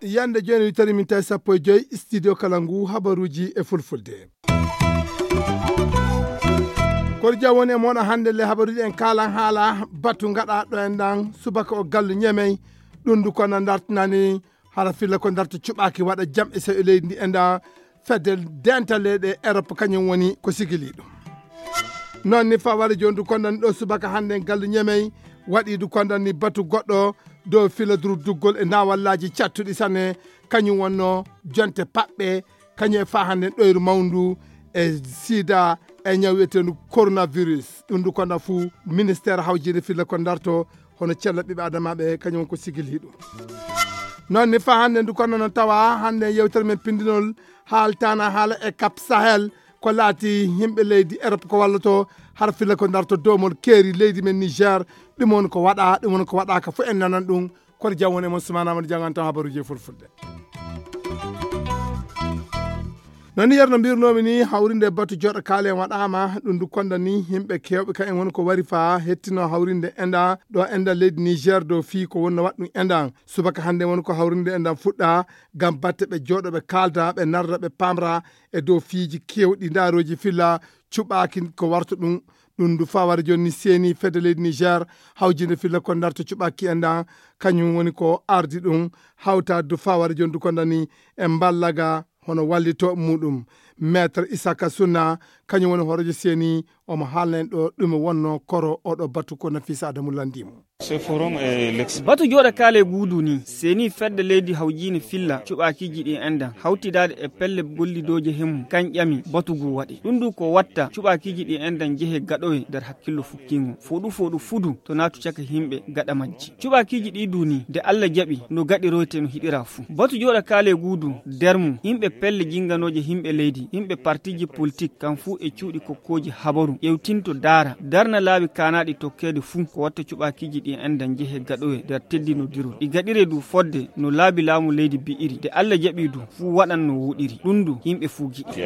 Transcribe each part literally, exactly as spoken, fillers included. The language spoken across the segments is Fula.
Yande jooni witari min tawi sappo e joyi studio kala ngu habaruuji e fulfulde. Kor jam woni e moɗon hannde le habaruuji en kaalan haala batu ngaɗa ɗo en ɗan subaka o gallu ñemey. Ɗum ndu kono dartinani hara filla ko darta cuɓaaki waɗa jam e sew e leydi ndi e nda fedde dental leyɗe Europe kañum woni ko sigili ɗum. Noon ni faware jooni du kondan ɗo subaka hannde en gallu ñemey waɗi du kondan ni batu goɗɗo dow fila durduggol e nawallaji cattuɗi sanne kañum wonno jonte paɓɓe kañum e fa hannde ɗoyru mawndu e sida e ñaw wiyetendu coronavirus. Ɗum du kondan fuu ministère hawjinde filla ko darto hono cella ɓiɓe adamaɓe kañum ko sigili ɗum. Noon ni fa hannde du kondan no tawa hannde yewtere men pindinol haaltana haala e cap sahel ko laati yimɓe leydi Europe ko walloto har filla ko darto domol keeri leydi men Niger. Ɗum woni ko waɗa ɗum woni ko waɗaka fof en nanan ɗum. Kono jam woni e mon sumana mon jangan tan habaruji e fulfulde. Noon ni yerno mbirnomi ni hawrinde batu joɗo kaalen waɗama ɗum du konda ni yimɓe kewɓe ka en woni ko wari fa hettino hawrinde enda ɗo enda leydi Niger dow fii ko wonno waɗ ɗum endan. Subaka hannde woni ko hawrinde endan fuɗɗa ngam batte ɓe jooɗo ɓe kaalda ɓe narda ɓe pamra e dow fiiji kewɗi ndaroji filla cuɓaaki ko warta ɗum. Ɗum ndu fawara jooni ni seeni fedde leydi Niger hawjinde filla ko darta cuɓaaki endan kañum woni ko ardi ɗum hawta du fawara jooni du ko dani e mballaga hono wallito muɗum. Maître Isaka Sunna kañum woni hoorejo seeni omo haalna en ɗo ɗume wonno koro oɗo batu ko Nafisa Adamu landimo. Batu jooɗa kaale guudu ni seeni fedde leydi hawjiini filla cuɓaakiiji ɗi enɗan hawtidaade e pelle gollidooje hemmu kan ƴami batu ngu waɗi ɗum ndu ko watta cuɓaakiiji ɗi enɗan jehe gaɗowe nder hakkillo fukkiingo foɗu foɗu fudu to naatu caka yimɓe gaɗa majji. Cuɓaakiiji ɗi du ni nde Allah jaɓi no gaɗiroyte no hiɗira fuu batu jooɗa kaale guudu nder mum yimɓe pelle jinnganooje yimɓe leydi yimɓe partiiji politik kan fuu e cuuɗi kokkooji habaru ƴewtinto daara darna laabi kaanaaɗi tokkeede fuu ko watta cuɓaakiiji ɗi enɗan jehe gaɗowe nder teddinodirol ɗi gaɗire du fodde no laabi laamu leydi bi'iri nde Allah jaɓi du fuu waɗan no wuɗiri ɗum du yimɓe fuu giɗi.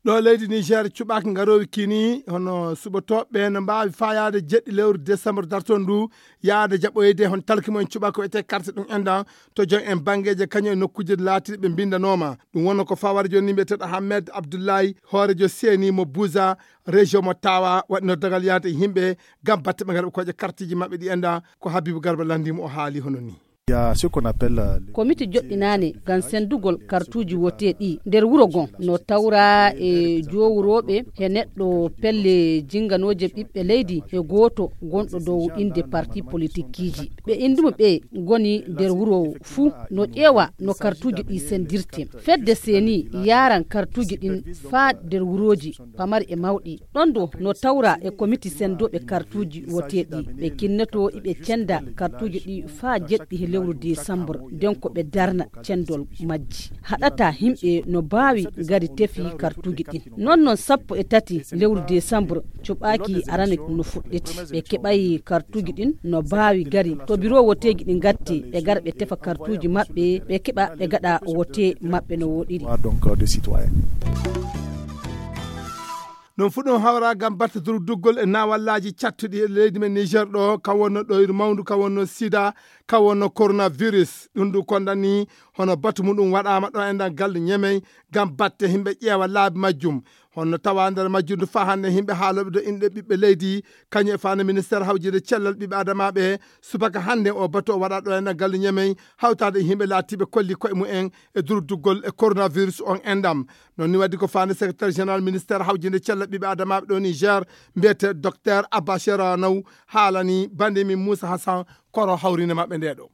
Ɗo leydi Niger cuɓaaki ngaroowi kini hono suɓotooɓe no mbaawi faayaade jeɗɗi lewru décembre dartoon ndu yaade jaɓoyde hon talki mo en cuɓa ko ete carte ɗum enɗan to joom en banngeeje kañum e nokkuuje laatiiɗe ɓe mbinndanooma. Ɗum wonno ko fawara jooni ni mbiyeteeɗo Ahmed Abdoulaye hoorejo seeni mo Buza région mo Tawa waɗi noddagal yaade e yimɓe ngam batte ɓe ngara ɓe koƴa kartiji maɓɓe ɗi enɗan ko Habibu Garba lanndimo o haali hono ni. Komite joɗɗinaande ngam senndugol kartuuji wote ɗi nder wuro ngon no tawra e jowrooɓe he neɗɗo pelle jinnganooje ɓiɓɓe leydi he gooto gonɗo dow innde parti politikkiiji ɓe innduɓe ɓe ngoni nder wuro fuu no ƴeewa no kartuuji ɗi senndirte. Fedde seeni yaaran kartuuji ɗin faa nder wurooji pamari e mawɗi. Ɗon ɗo no tawra e komiti senndooɓe kartuuji woteeɗi ɓe kinneto iɓe cennda kartuuji ɗi faa jeɗɗi he lewru desambur nden ko ɓe darna cenndol majji. Haɗata yimɓe no mbaawi ngari tefi kartuuji ɗin. Non non sappo e tati lewru desambur cuɓaaki arana no fuɗɗiti ɓe keɓay kartuuji ɗin no mbaawi ngari to biro woteeji ɗi ngatti ɓe ngara ɓe tefa kartuuji maɓɓe ɓe keɓa ɓe ngaɗa wote maɓɓe no woɗiri. Donc des citoyens. Ɗum fu ɗum hawra ngam batte durduggol e nawallaaji cattuɗi e leydi men Niger ɗo ka wonno ɗoyru mawndu ka wonno sida ka wonno coronavirus. Ɗum ndu kondani hono batu muɗum waɗaama ɗo e nder galle ñemey ngam batte yimɓe ƴeewa laabi majjum. Honno tawa nder majjum ndu faa hannde yimɓe haalooɓe do inɗe ɓiɓɓe leydi kañum e faande ministeer hawjinde cellal ɓiɓɓe adamaaɓe subaka hannde o batu o waɗa ɗo e nder galle ñemey hawtaade e yimɓe laatiiɓe kolli koye mumen e durduggol e coronavirus on enɗam. Noon ni waddi ko faande secrétaire général ministère hawjinde cella ɓiɓɓe adamaaɓe ɗo Niger mbiyete docteur Abba Sheranaw haalani bande min Moussa Hassan koro hawrinde maɓɓe nde ɗo.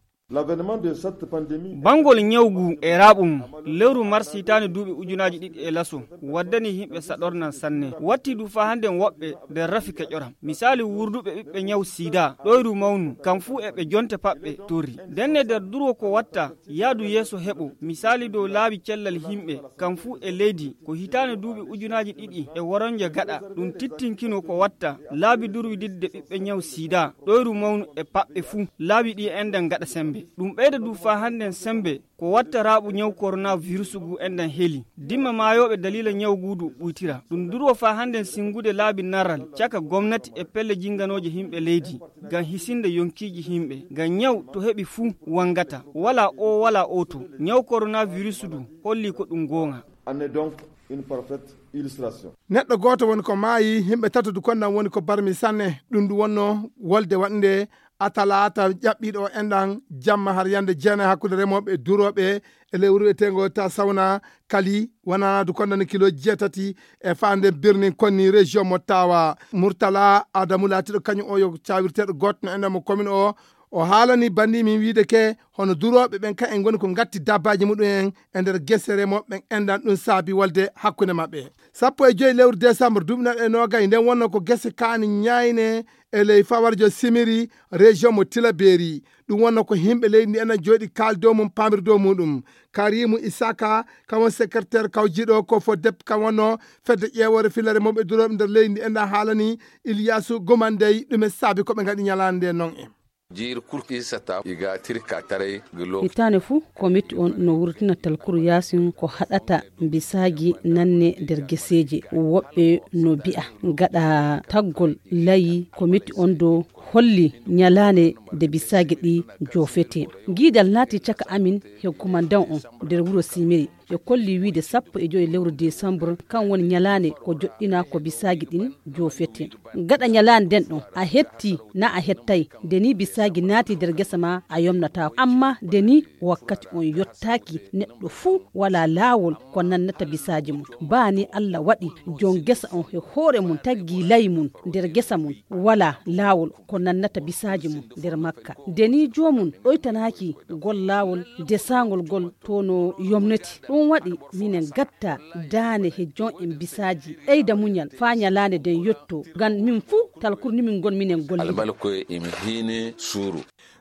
Bangol ñawgu e raaɓu mum lewru mars hitaande duuɓi ujunaaji ɗiɗi e laso waddani yimɓe saɗornan sanne watti du faa hannden woɓɓe nder rafi keƴoram misaali wurduɓe ɓiɓɓe ñaw sida ɗoyru mawnu kam fuu e ɓe jonte paɓɓe torri ndenne nder durwo ko watta yaadu yeeso heɓo misaali dow laabi cellal yimɓe kam fuu e leydi ko hitaande duuɓi ujunaaji ɗiɗi e woronje gaɗa ɗum tittinkino ko watta laabi durwididde ɓiɓɓe ñaw sida ɗoyru mawnu e paɓɓe fuu laabi ɗi enɗan gaɗa sembe. Ɗum ɓeyda du faa hannden semmbe ko watta raaɓu ñaw koronavirus ngu enɗan heli. Dimma maayooɓe daliila ñaw nguu du ɓuytira. Ɗum durwo faa hannden sinngude laabi naral caka gomnati e pelle jinnganooje yimɓe leydi ngam hisinde yonkiiji yimɓe. Ngam ñaw to heɓi fuu wanngata. Walaa oo, walaa oo to. Ñaw koronavirus du hollii ko ɗum goonga. En est donc une parfaite illustration. Neɗɗo gooto woni ko maayi, yimɓe tato du konnan woni ko barmi sanne. Ɗum du wonno wolde waɗnde a talaata ƴaɓɓiiɗo o enɗan jamma har yande jeenayi hakkunde remooɓe e durooɓe e lewru eteengo ta sawna kali wonanaadu konnani kilo jeetati e faande birnin konni région mo tawa murtala adamu laatiɗo kañum o yo cawirteɗo gootno enɗan mo commune o. O haalani banndi min wiide ke hono durooɓe ɓen ka en ngoni ko ngatti dabbaaji muɗum en e nder gese remooɓe ɓen enɗan ɗum saabi wolde hakkunde maɓɓe. Sappo e joyi lewru décembre duuɓi naɗe noogay nden wonno ko gese kaani ñaayne e ley fawarjo simiri région mo tilaberi. Ɗum wonno ko yimɓe leydi ndi enen jooɗi kaali dow mum pamiri dow muɗum. Karimu Isaka kam won secrétaire kawjiɗo ko fo dep kam wonno fedde ƴeewoore filere mawɓe durooɓe nder leydi ndi enen haalani Iliyasu Gumandey ɗume saabi ko ɓe ngaɗi ñalaande nde non en. Jiir kurki sata iga tirka taray gilo. Hitaane fuu komiti on no wurtina talkuru yaasin ko haɗata bisaaji nanne nder geseeje. Woɓɓe no bi'a gaɗa taggol layi komiti on do holli ñalaande nde bisaaji ɗi joofete. Giidal naati caka amin he kumandan on nder wuro Simiri. Ɓe kolli wiide sappo e joyi lewru desambur kan woni ñalaande ko joɗɗinaa ko bisaaji ɗin joofete. Gaɗa ñalaande nden ɗon a hetti na a hettay, nde ni bisaaji naati nder gesa ma a yomnataako. Amma nde ni wakkati on yottaaki, neɗɗo fuu walaa laawol ko nannata bisaaji mum. Baa ni Allah waɗi jon gesa on he hoore mum taggi layi mum nder gesa mum walaa laawol ko nannata bisaaji mum nder makka. Nde ni joomum ɗoytanaaki gol laawol desaangol gol to no yomneti. Ɗum waɗi minen gatta daane he jon en bisaaji ɓeyda muñal faa ñalaande nden yotto. Ngam min fuu talkur ni min ngon minen gollida. Albalko emi hiine suuru.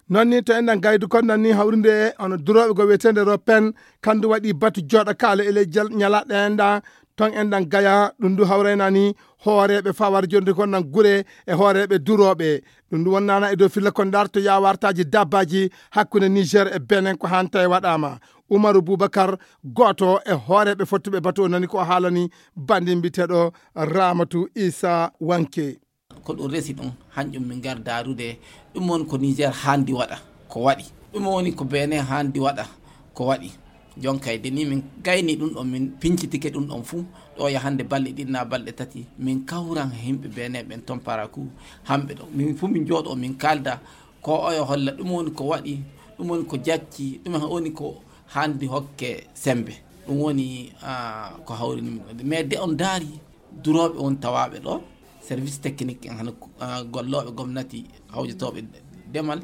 Non ni to enɗan gaydu kon nan ni hawrinde e ono durooɓe go wiyeteende Ropen kandu waɗi batu jooɗa kaala e ley jal ñalaɗe enɗan ton enɗan gaya ɗum du hawrayna ni hooreeɓe fawar jonde kon nan gure e hooreeɓe durooɓe. Ɗum du wonnana e dow filla kon ndarto yaawartaaji dabbaaji hakkunde Niger e Benin ko hanta e waɗaama. Umaru Bubakar gooto e hooreeɓe fottuɓe batu o nani ko o haalani banndin mbiteɗo Ramatu Isa Wanke. Ko ɗum resi ɗum hanƴum min ngar darude ɗum woni ko Niger handi waɗa ko waɗi, ɗum woni ko Benin handi waɗa ko waɗi. Jonkay de ni min gayni ɗum ɗon min pincitike ɗum ɗon fuu ɗo yahande balɗe ɗiɗi na balɗe tati min kawran e yimɓe Benin ɓen ton paraku. Hamɓe ɗo min fuu min jooɗo min kalda ko oyo holla ɗum woni ko waɗi, ɗum woni ko jacci, ɗum woni ko handi hokke sembe. Ɗum woni ah, ko hawrini min ɗo mais de on daari durooɓe on tawaaɓe ɗo service technique en hano ah, gollooɓe gomnati hawjotooɓe demal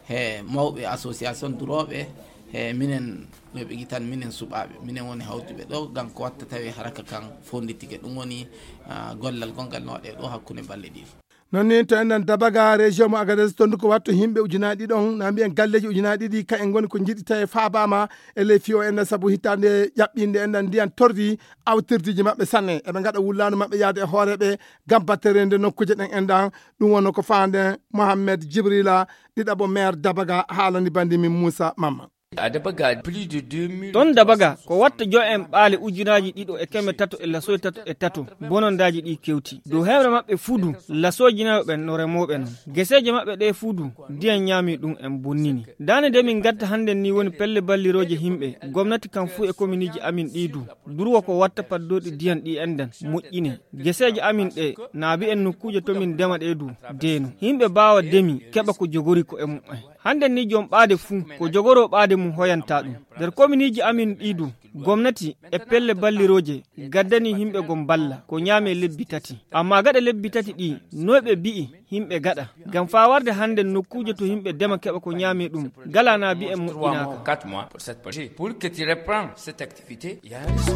he mawɓe association durooɓe he minen ɓe ɓe gitan minen suɓaaɓe minen woni hawtuɓe ɗo ngam ko watta tawi haraka kan fonditike ɗum woni ah, gollal gongal no waɗe ɗo hakkunde balɗe ɗiɗi. Non ni to enɗan dabaga région mo agades tondu ko wattu yimɓe ujunaaji ɗiɗi on na mbiyen galleji ujunaaji ɗiɗi ka en ngoni ko jiɗi tawi faabama e ley fiyo enɗan sabu hitande ƴaɓɓinde enɗan ndiyan tordi awtirdiiji maɓɓe sanne eɓe ngaɗa wullaandu maɓɓe yahde e hooreeɓe ngam batterende nokkuuje ɗen enɗan. Ɗum wonno ko faande Mohammed Jibrila ɗiɗaɓo maire dabaga haalani bandi min Moussa Mamma. Ɗon dabaga ko watta jo en ɓaale ujunaaji ɗiɗo e keme tato e lasoy tato e tato bonondaaji ɗi kewti dow hewre maɓɓe fudu lasooji nayo ɓen no remooɓe non geseeje maɓɓe ɗe fudu ndiyan ñaami ɗum en bonnini. Daane nde min gatta hannden ni woni pelle ballirooje yimɓe gomnati kan fuu e kominiiji amin ɗi du durwo ko watta paddooɗi ndiyan ɗi enɗan moƴƴine geseeje amin ɗe naabi en nokkuuje to min ndema ɗe du deeno yimɓe mbaawa demi keɓa ko jogori ko e mumen. Hannden ni jom ɓaade fuu ko jogoroo ɓaade mum hoyanta ɗum. Nder kominiiji amin ɗii du gomnati e pelle ballirooje gaddani yimɓe gom balla ko ñaame lebbi tati. Amma gaɗa lebbi tati ɗii noy ɓe bi'i yimɓe gaɗa ngam faa warde hannden nokkuuje to yimɓe dema keɓa ko ñaame ɗum galaa na bi'en moƴƴinaaka. Pour que tu reprends cette activité, il y a un risque.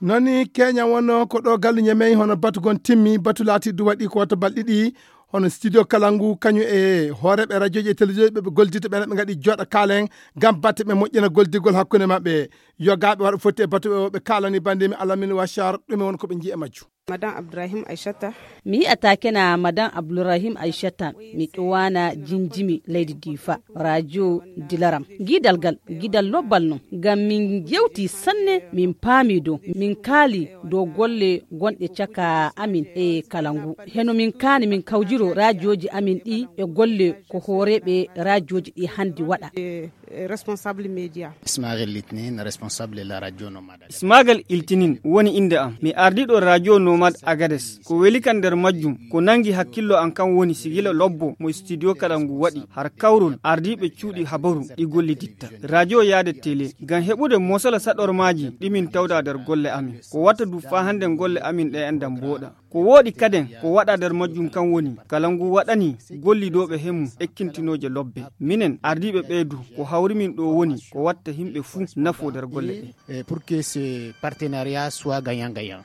Noni keña wonno ko ɗo gallu ñamey hono batu gon timmi batu laatiɗo waɗi ko wata balɗi ɗi. Hono studio kala ngu kañum e hooreɓe radioji e télévision ɓe ɓe goldita ɓen ɓe gaɗi joɗa kaalen ngam batte ɓe moƴƴina goldigol hakkunde maɓɓe. Yogaɓe waɗa fotti e batu ɓe o ɓe kalani bandimi alamine wachar ɗume won ko ɓe jii e majju. Madame Abdourahim Aïchata. Mi yi'ata kena Madame Abdourahim Aïchata. Mi ƴowana jinjimi leydi Difa, radio dilaram. Gidal gal, gidal lobbal non. Ngam min jewti sanne, min paami dow. Min kaali dow golle gonɗe caka amin e kala ngu. Heno min kaani min kawjiro radioji amin ɗi e golle ko hooreeɓe radioji ɗi handi waɗa. Eh, responsable média. Ismaël Litnin, responsable de la radio Nomade. Ismagal Iltinin woni innde am. Mi ardiiɗo radio Nomad Agades. Ko weli kan nder majjum, ko nangi hakkillo am kan woni sigila lobbo mo studio kala ngu waɗi har kawrol ardiiɓe cuuɗi habaru ɗi golliditta. Radio yaade télé ngam heɓude mosola saɗormaaji ɗi min tawda nder golle amin. Ko watta du faa hannden golle amin ɗe enɗan mbooɗa. Ko wooɗi kaden ko waɗa nder majjum kan woni kala ngu waɗani gollidooɓe hemmu ekkintinooje lobbe. Minen ardiiɓe ɓee du ko hawri min ɗo woni ko watta himɓe fuu nafo nder golle ɗe. Eh, pour que ce partenariat soit gagnant-gagnant.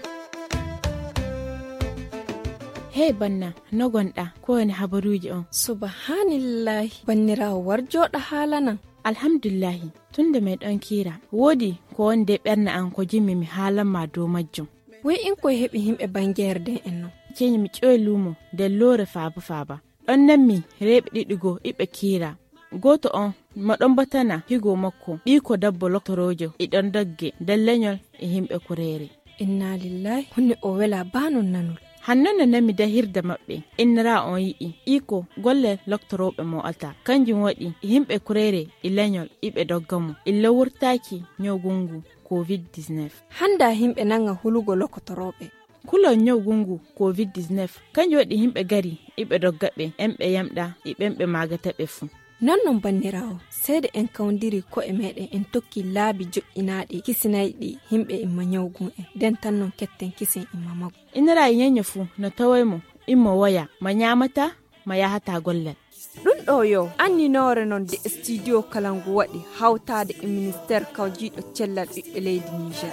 Hey banna, no gonɗa? Ko woni habaruuji on? Subhanillahi, banniraawo war jooɗa haalanan. Alhamdulillahi, tun nde meɗon kiira, woodi ko woni de ɓernde an ko jimmi mi haalan ma dow majjum. Woy in koye heɓi himɓe bangeere den en non? Ceeni mi ƴoyi luumo nder loore faaba faaba. Ɗon nanmi reeɓe ɗiɗi goo iɓe kiira. Gooto on mo ɗon batana higo makko ɓiiko dabbo loktoroojo e ɗon dogge nder leñol e himɓe kureere. Inna lillahi, honno o wela baa non nanol. Hanno no nami dahirde maɓɓe, innira on yi'i iko golle loktorooɓe mo alta. Kanjum waɗi yimɓe kureere e leñol iɓe dogga mo. Illa wurtaaki ñawgungu covid dix-neuf. Hannda yimɓe nanga hulugo lokotorooɓe. Kulol ñawgungu covid dix-neuf, kanjum waɗi yimɓe gari iɓe dogga ɓe, en ɓe yamɗa e ɓen ɓe maagata ɓe fuu. Non non banniraawo, seede en kawndiri ko'e meɗen en tokki laabi joƴƴinaaɗi kisinayɗi yimɓe imma ñawgun en, nden tan non ketten kisen imma magu. Inira e ñeño fuu no tawoy mo, immo woya, ma ñaamata, ma yahata gollal. Ɗum ɗo yo anninoore non de studio kala ngu waɗi hawtaade e ministère kawjiiɗo cellal ɓiɓɓe leydi Niger.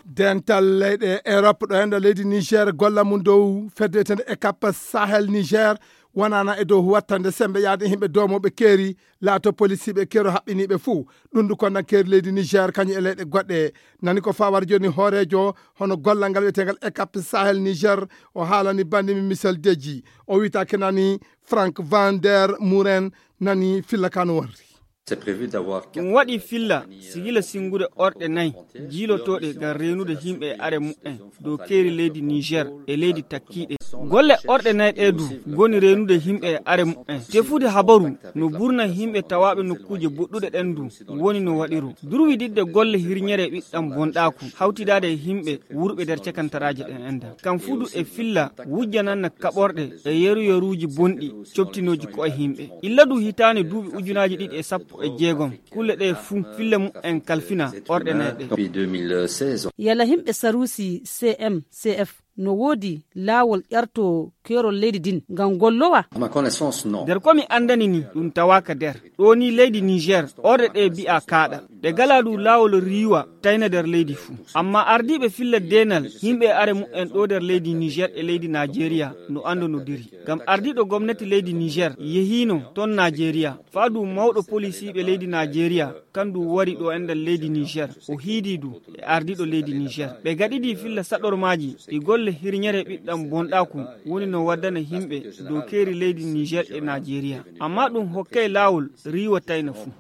Dental leyɗe Europe ɗo enɗo leydi Niger golla mum dow fedde etende e kappa Sahel Niger wonana e dow wattande sembe yaade himɓe domoɓe keeri laato polisiiɓe keero haɓɓiniiɓe fuu. Ɗum ndu konnan keeri leydi Niger kañum e leyɗe goɗɗe nani ko fawar joni hooreejo hono gollal ngal wiyetegal ekap Sahel Niger. O haalani bandi mi Michel Deji, o wiyetake nani Frank Van Der Muren nani filla kano warri. Ɗum waɗi filla sigila singude orɗe nayi jiilotooɗe ngam reenude yimɓe e are mumen dow keeri leydi Niger e leydi takkiiɗe. Golle orɗe nayi ɗee du ngoni reenude yimɓe e are mumen. Tefude habaru no burna yimɓe tawaaɓe nokkuuje boɗɗuɗe ɗen du woni no waɗiro. Durwididde golle hirñere ɓiɗɗam bonɗaaku hawtidaade e yimɓe wurɓe nder cakantaraaje ɗen enɗan. Kam fudu e filla wujjananna kaɓorɗe e yeru-yeruuji bonɗi coftinooji ko'e yimɓe. Illa du hitaande duuɓi ujunaaji ɗiɗi e sappo e jeegom, kulle ɗee fuu filla mumen kalfina orɗe nayi ɗee. Yala yimɓe saruusi C M C F no woodi laawol ƴarto keerol leydi din ngam gollowa? Nder ko mi anndani ni, ɗum tawaaka nder. Ɗo ni leydi Niger, orɗe ɗee bi'a kaaɗa. Ɗe gala du laawol riiwa tayna nder leydi fuu. Amma ardiiɓe filla deenal, yimɓe e are mumen ɗo nder leydi Niger e leydi Najeriya no anndonodiri. Ngam ardiiɗo gomnati leydi Niger yehiino ton Najeriya. Faa du mawɗo polisiiɓe leydi Najeriya, kan du wari ɗo enɗan leydi Niger. O hiidi du e ardiiɗo leydi Niger. Ɓe gaɗidi filla saɗormaaji ɗi golle hirñere ɓiɗɗam bonɗaaku woni no waddana yimɓe dow keeri leydi Niger e Najeriya. Amma ɗum hokkay laawol riiwa tayna fuu.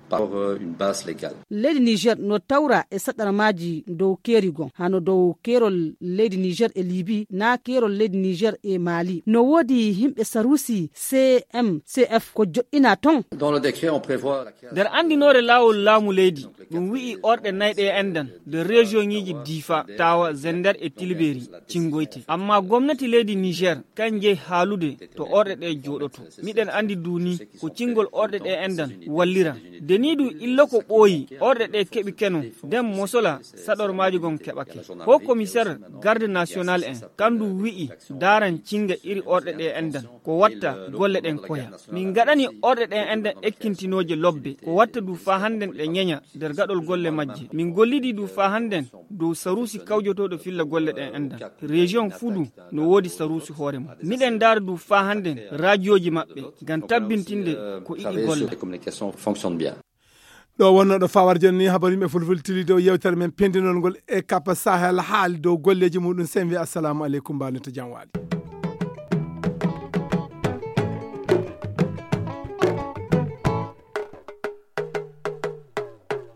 Leydi Niger no tawra e saɗarmaaji dow keeri gon, hano dow keerol leydi Niger e Libi, na keerol leydi Niger e Mali. No woodi yimɓe saruusi C M C F ko joɗɗina ton. Nder anndinoore laawol laamu leydi, ɗum wi'i orɗe nayi ɗee enɗan nder rejiyoŋiiji Difa, Tawa, Zender e Tilberi cingoyte. Amma gomnati leydi Niger kan jeyi haalude to orɗe ɗee jooɗoto. Miɗen anndi du ni ko cingol orɗe ɗee enɗan wallira. Nde ni du illa ko ɓooyi orɗe ɗee keɓi keno, nden mosola saɗormaaji gon keɓake. Ko komiser garde national en kan du wi'i daaran cinga iri orɗe ɗee enɗan ko watta golle ɗen koya. Min gaɗani orɗe ɗen enɗan ekkintinooje lobbe ko watta du faa hannden ɗe ñeña nder gaɗol golle majje. Min gollidi du faa hannden dow saruusi kawjotooɗo filla golle ɗen enɗan. Rejiyoŋ fuu du no woodi saruusi hoore mum. Miɗen ndaara du faa hannden raajiyooji maɓɓe ngam tabbintinde ko iɗi golla. Ɗo wonnoo ɗo fawar jonni habar yimɓe fulfulde tili dow yewtere men pendinol ngol e kappa Sahel haali dow golleeji muɗum. Sen wi assalamu aleykum, mbaɗen to jam waali.